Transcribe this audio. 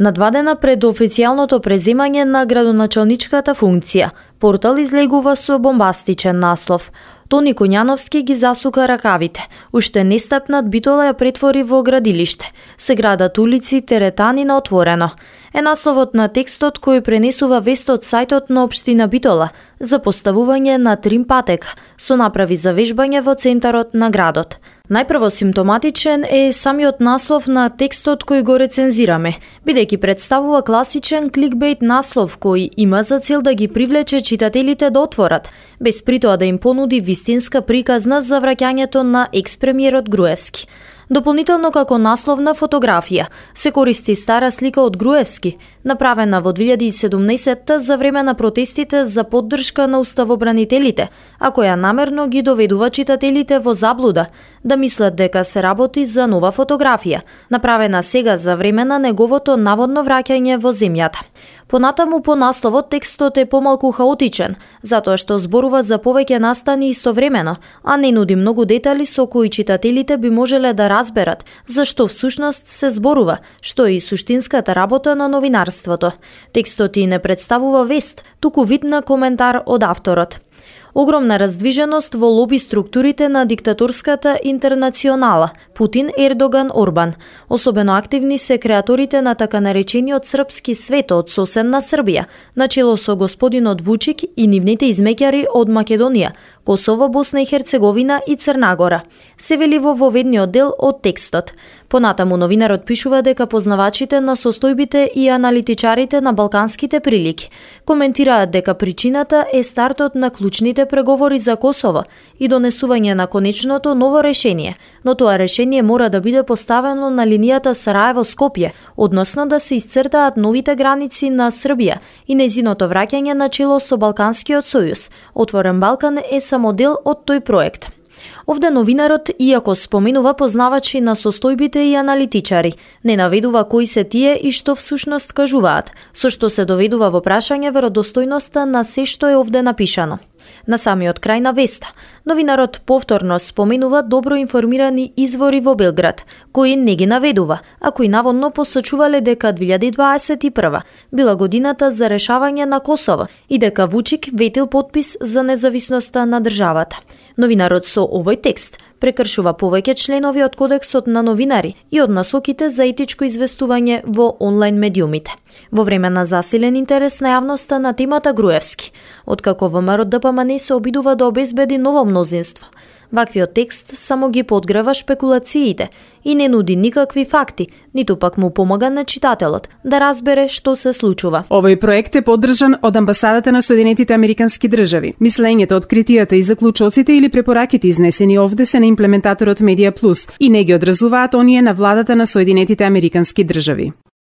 На 2 дена пред официјалното преземање на градоначалничката функција, портал излегува со бомбастичен наслов. Тони Коњановски ги засука ракавите. Уште нестапнат Битола ја претвори во градилиште. Се градат улици, теретани на отворено. Е насловот на текстот кој пренесува вест од сајтот на општина Битола за поставување на трим патека, со направи за вежбање во центарот на градот. Најпрво симптоматичен е самиот наслов на текстот кој го рецензираме, бидејќи представува класичен кликбейт наслов кој има за цел да ги привлече читателите да отворат, без притоа да им понуди вистинска приказна за враќањето на екс-премиерот Груевски. Дополнително како насловна фотографија се користи стара слика од Груевски, направена во 2017 за време на протестите за поддршка на уставобранителите, а која намерно ги доведува читателите во заблуда, да мислат дека се работи за нова фотографија, направена сега за време на неговото наводно враќање во земјата. Понатаму по насловот текстот е помалку хаотичен, затоа што зборува за повеќе настани истовремено, а не нуди многу детали со кои читателите би можеле да разберат зашто всушност се зборува, што е и суштинската работа на новинарството. Текстот и не представува вест, туку вид на коментар од авторот. Огромна раздвиженост во лоби структурите на диктаторската интернационала Путин, Ердоган, Орбан. Особено активни се креаторите на така наречениот српски свет од соседна Србија, начело со господинот Вучик и нивните измеќари од Македонија, Косово, Босна и Херцеговина и Црна Гора. Се вели во воведниот дел од текстот. Понатаму новинарот пишува дека познавачите на состојбите и аналитичарите на балканските прилики коментираат дека причината е стартот на клучните преговори за Косово и донесување на конечното ново решение, но тоа решение мора да биде поставено на линијата Сараево-Скопје, односно да се исцртаат новите граници на Србија и нејзиното враќање на чело со Балканскиот сојуз. Отворен Балкан е само дел од тој проект. Овде новинарот, иако споменува познавачи на состојбите и аналитичари, не наведува кои се тие и што всушност кажуваат, со што се доведува во прашање веродостојноста на се што е овде напишано. На самиот крај на веста, новинарот повторно споменува добро информирани извори во Белград, кои не ги наведува, а кои наводно посочувале дека 2021 била годината за решавање на Косово и дека Вучик ветил подпис за независноста на државата. Новинарот со овој текст прекршува повеќе членови од Кодексот на новинари и од насоките за етичко известување во онлайн медиумите. Во време на засилен интерес на јавноста на темата Груевски, откако ВМРО ДПМН се обидува да обезбеди ново мнозинство, ваквиот текст само ги подгрева шпекулациите и не нуди никакви факти, ниту пак му помага на читателот да разбере што се случува. Овој проект е поддржан од амбасадата на Соединетите Американски држави. Мислењето, откритијата и заклучоците или препораките изнесени овде се на имплементаторот Медиа Плюс и не ги одразуваат оние на владата на Соединетите Американски држави.